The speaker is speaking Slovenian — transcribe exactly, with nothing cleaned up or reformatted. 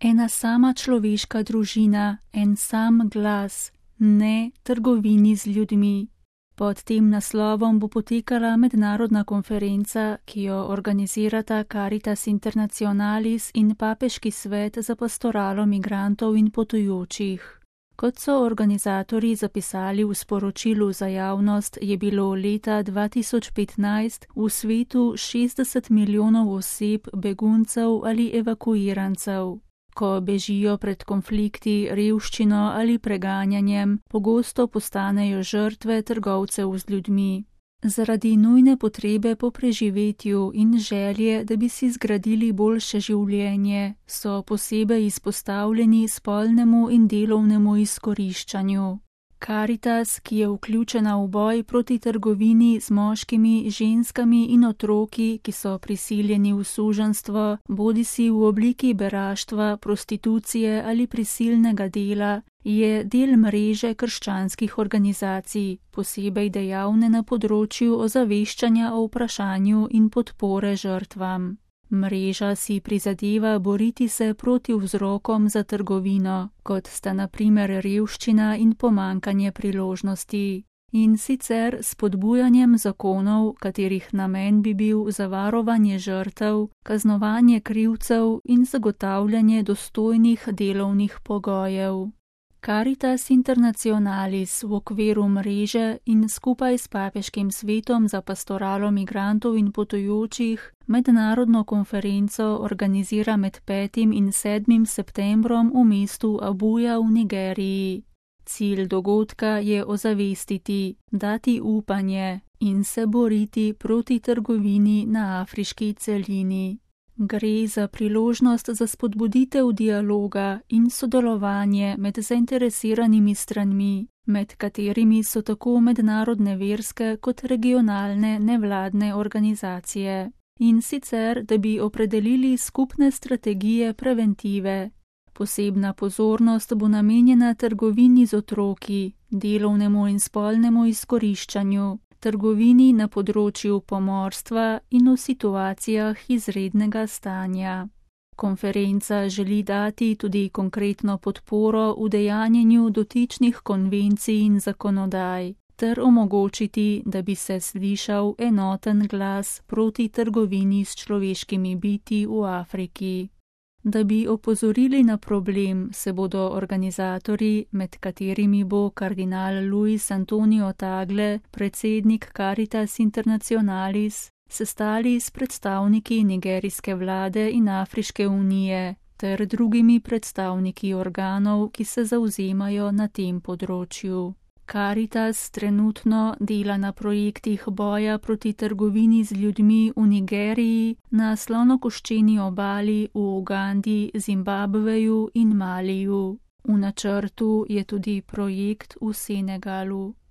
Ena sama človeška družina, en sam glas, ne trgovini z ljudmi. Pod tem naslovom bo potekala mednarodna konferenca, ki jo organizirata Caritas Internationalis in Papeški svet za pastoralo migrantov in potujočih. Kot so organizatorji zapisali v sporočilu za javnost, je bilo leta dva tisoč petnajst v svetu šestdeset milijonov oseb beguncev ali evakuirancev. Ko bežijo pred konflikti, revščino ali preganjanjem, pogosto postanejo žrtve trgovcev z ljudmi. Zaradi nujne potrebe po preživetju in želje, da bi si zgradili boljše življenje, so posebej izpostavljeni spolnemu in delovnemu izkoriščanju. Caritas, ki je vključena v boj proti trgovini z moškimi, ženskami in otroki, ki so prisiljeni v suženjstvo, bodisi v obliki beraštva, prostitucije ali prisilnega dela, je del mreže krščanskih organizacij, posebej dejavne na področju ozaveščanja o vprašanju in podpore žrtvam. Mreža si prizadeva boriti se proti vzrokom za trgovino, kot sta na primer revščina in pomankanje priložnosti, in sicer s spodbujanjem zakonov, katerih namen bi bil zavarovanje žrtev, kaznovanje krivcev in zagotavljanje dostojnih delovnih pogojev. Caritas Internationalis v okviru mreže in skupaj s Papeškim svetom za pastoralo migrantov in potujočih mednarodno konferenco organizira med petim in sedmim septembrom v mestu Abuja v Nigeriji. Cilj dogodka je ozavestiti, dati upanje in se boriti proti trgovini na afriški celini. Gre za priložnost za spodbuditev dialoga in sodelovanje med zainteresiranimi stranmi, med katerimi so tako mednarodne verske kot regionalne nevladne organizacije. In sicer, da bi opredelili skupne strategije preventive. Posebna pozornost bo namenjena trgovini z otroki, delovnemu in spolnemu izkoriščanju, trgovini na področju pomorstva in v situacijah izrednega stanja. Konferenca želi dati tudi konkretno podporo udejanjenju dotičnih konvencij in zakonodaj, ter omogočiti, da bi se slišal enoten glas proti trgovini s človeškimi bitji v Afriki. Da bi opozorili na problem, se bodo organizatorji, med katerimi bo kardinal Luis Antonio Tagle, predsednik Caritas Internationalis, sestali s predstavniki nigerijske vlade in Afriške unije, ter drugimi predstavniki organov, ki se zavzemajo na tem področju. Caritas trenutno dela na projektih boja proti trgovini z ljudmi v Nigeriji, na Slonokoščeni obali, v Ugandi, Zimbabveju in Maliju. V načrtu je tudi projekt v Senegalu.